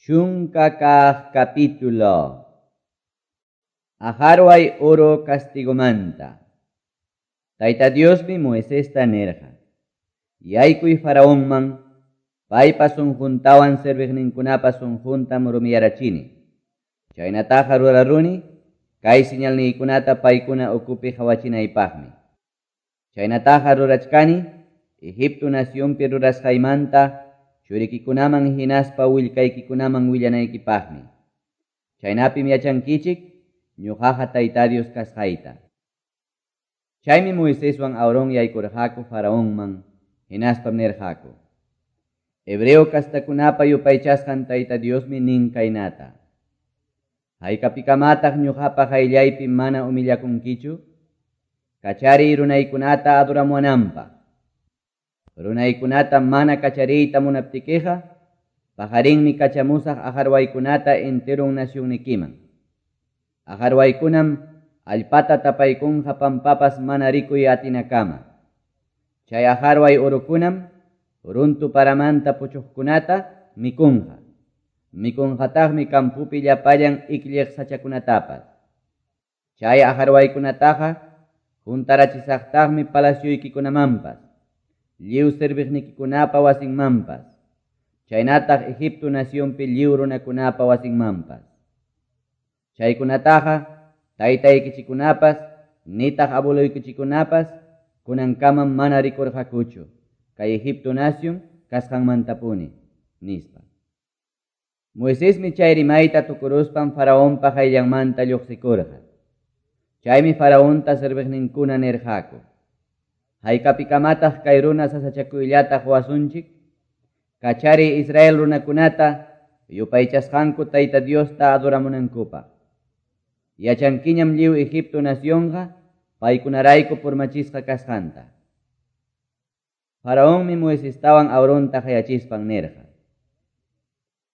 Chunka kaq capítulo. Aqarway uru castigomanta. Tayta Diosmi Moisesta nirqa: Yaykuy Faraonman, paypa sunquntawan serviqninkunapa sunquntam rumiyarachini. Chaynataqa ruraruni kay señalniykunata paykuna ukupi qawachinaypaqmi. Chaynataqa rurachkani Egipto nacionpi rurasqaymanta churikikunaman hinaspa willkaykikunaman willanaykipaqmi. Chaynapim yachankichik ñuqaqa Tayta Dios kasqayta. Chaymi Moiseswan Aarón yaykurqaku Faraonman, hinaspam nirqaku: Hebreo kastakunapa yupaychasqan Tayta Diosmi nin kaynata: Haykapikamataq ñuqapa qayllaypi mana humillakunkichu? Kachariy runaykunata adoramuwananpaq. Runaykunata mana kachariyta munaptikiqa, paqarinmi kachamusaq aqarwaykunata enteron nacionnikiman. Aqarwaykunam allpata tapaykunqa pampapas mana rikuy atinakama. Chay aqarway urukunam runtu paramanta puchuqkunata mikunqa. Mikunqataqmi kampupi llapallan iklliq sachakunatapas. Chay aqarwaykunataqa huntarachisaqtaqmi palacioykikunamanpas, lliw serviqnikikunapa wasinmanpas, chaynataq Egipto nacionpi lliw runakunapa wasinmanpas. Chaykunataqa taytaykichikkunapas nitaq abueloykichikkunapas kunankamam mana rikurqakuchu kay Egipto nacion kasqanmantapuni, nispa. Moisesmi chay rimayta tukuruspan Faraonpa qayllanmanta lluqsikurqa. Chaymi Faraonta serviqninkuna nirqaku: Haykapikamataq kay runa sasachakuyllata quwasunchik? Kachariy Israel runakunata yupaychasqanku Tayta Diosta adoramunankupaq. Yachankiñam lliw Egipto nacionqa paykunarayku purmachisqa kasqanta. Faraonmi Moisestawan Aaronta qayachispan nirqa: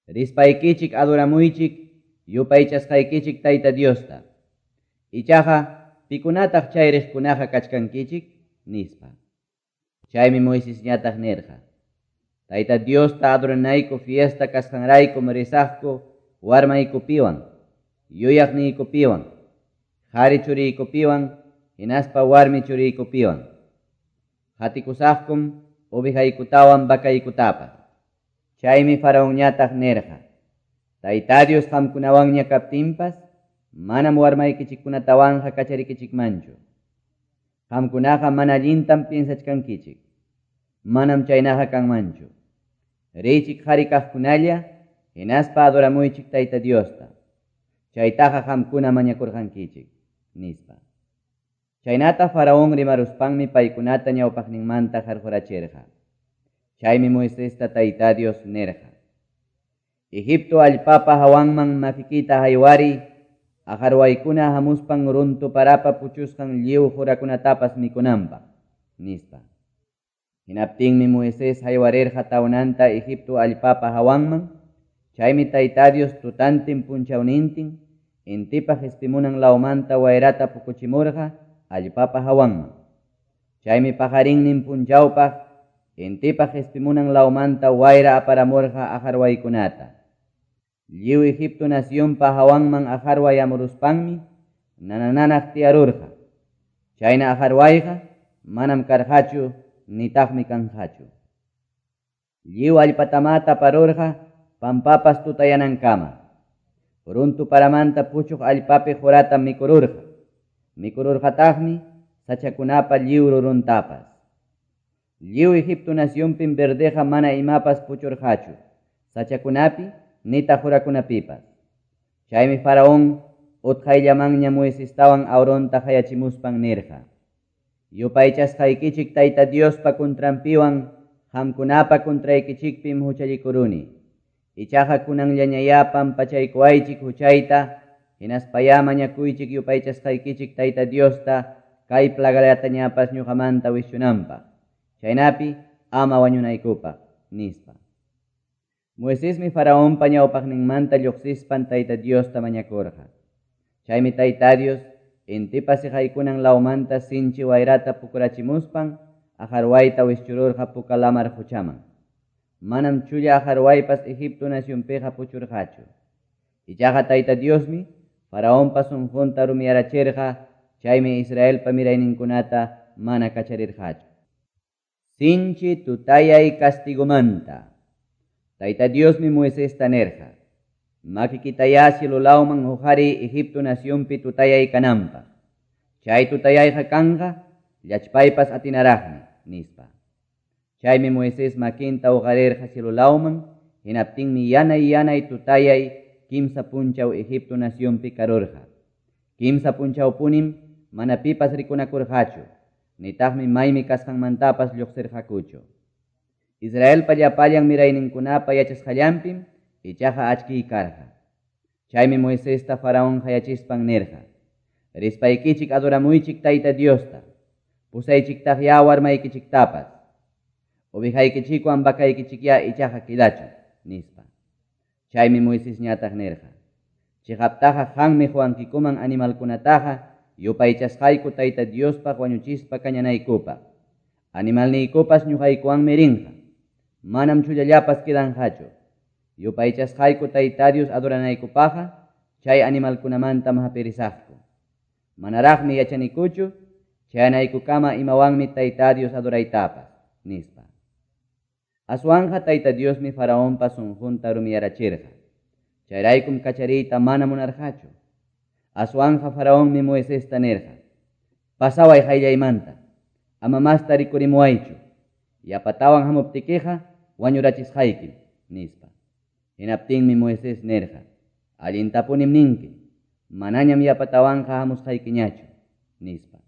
Rispaykichik adoramuychik yupaychasqaykichik Tayta Diosta. Ichaqa pikunataq chay riqkunaqa kachkankichik, nispa. Chaymi Moisesñataq nirqa: Tayta Diosta adoranayku fiesta kasqanraykum risaqku warmaykupiwan, yuyaqniykupiwan, qhari churiykupiwan, hinaspa warmi churiykupiwan. Qatikusaqkum ovejaykutawan vacaykutapas. Chaymi Faraonñataq nirqa: Tayta Dios qamkunawanña kaptinpas, manam warmaykichikkunatawanqa kacharikichikmanchu. Qamkunaqa mana allintam piensachkankichik. Manam chaynaqa kanmanchu. Riychik qhari kaqkunalla, hinaspa adoramuychik Tayta Diosta. Chaytaqa qamkuna mañakurqankichik, nispa. Chaynata Faraón rimaruspanmi paykunata ñawpaqninmanta qarqurachirqa. Chaymi Moisesta Tayta Dios nirqa: Egipto allpapa hawanman makikita haywariy, aqarwaykuna hamuspan runtu parapa puchusqan lliw qurakunatapas mikunanpaq, nispa. Hinaptinmi Moisés haywarirqa tawnanta Egipto allpapa hawanman, chaymi Tayta Dios tutantin punchawnintin intipa qispimunan lawmanta wayrata pukuchimurqa allpapa hawanman. Chaymi paqarinnin punchawpaq intipa qispimunan lawmanta wayra aparamurqa aqarwaykunata. Lliw Egipto nacionpa hawanman aqarway amuruspanmi nanananaq tiyarurqa. Chayna aqarwayqa manam karqachu nitaqmi kanqachu. Lliw allpatamá taparurqa pampapas tutayanankama. Runtu paramanta puchuq allpapi qurata mikururqa. Mikururqataqmi sachakunapa lliw ruruntapas. Lliw Egipto nacionpim verdeja mana imapas puchurqachu, sachakunapi nitaq qurakunapipas. Chaymi Faraón utqayllamanña Moisestawan Aaronta qayachimuspan nirqa: Yupaychasqaykichik Tayta Diospa kuntranpiwan qamkunapa kuntraykichikpim huchallikuruni. Ichaqa kunanllañayá pampachaykuwaychik huchayta, hinaspayá mañakuychik yupaychasqaykichik Tayta Diosta kay plagalatañapas ñuqamanta wischunanpaq. Chaynapi ama wañunaykupaq, nispa. Moisesmi Faraonpa ñawpaqninmanta lluqsispan Tayta Diosta mañakurqa. Chaymi Tayta Dios intipa siqaykunan lawmanta sinchi wayrata pukurachimuspan aqarwayta wischururqa Puka Lamar quchaman. Manam chulla aqarwaypas Egipto nacionpiqa puchurqachu. Ichaqa Tayta Diosmi Faraonpa sonqonta rumiyarachirqa, chaymi Israelpa mirayninkunata mana kacharirqachu. Sinchi tutayay castigomanta. Tayta Diosmi Moisesta nirqa: Makikitayá cielo lawman hoqariy Egipto nacionpi tutayay kananpaq. Chay tutayayqa kanqa llachpaypas atinaraqmi, nispa. Chaymi Moisés makinta hoqarirqa cielo lawman, hinaptinmi yanay-yanay tutayay kimsa punchaw Egipto nacionpi karurqa. Kimsa punchawpunim mana pipas rikunakurqachu, nitaqmi maymi kasqanmantapas lluqsirqakuchu. Israelpa llapallan mirayninkunapa yachasqallanpim ichaqa achkiy karqa. Chaymi Moisesta Faraón qayachispan nirqa: Rispaykichik adoramuychik Tayta Diosta, pusaychiktaqyá warmaykichiktapas. Ovejaykichikwan vacaykichikyá ichaqa quedachun, nispa. Chaymi Moisesñataq nirqa: Chiqaptaqa qanmi qowankikuman animalkunataqa yupaychasqayku Tayta Diospaq wañuchispa kañanaykupaq. Animalniykupas ñuqaykuwanmi rinqa. Manam chullallapas quedanqachu. Yupaychasqayku Tayta Dios adoranaykupaqqa chay animalkunamantam hapirisaqku. Manaraqmi yachanikuchu chayanaykukama imawanmi Tayta Dios adoraytapas, nispa. Aswanqa Tayta Diosmi Faraonpa sunqunta rumiyarachirqa. Chayraykum kachariyta mana munarqachu. Aswanqa Faraonmi Moisesta nirqa: Pasaway qayllaymanta, ama masta rikurimuwaychu. Yapatawan hamuptikiqa wañurachisqaykim, nispa. Hinaptinmi Moisés nirqa: Allintapunim ninki, manañam yapatawanqa hamusqaykiñachu, nispa.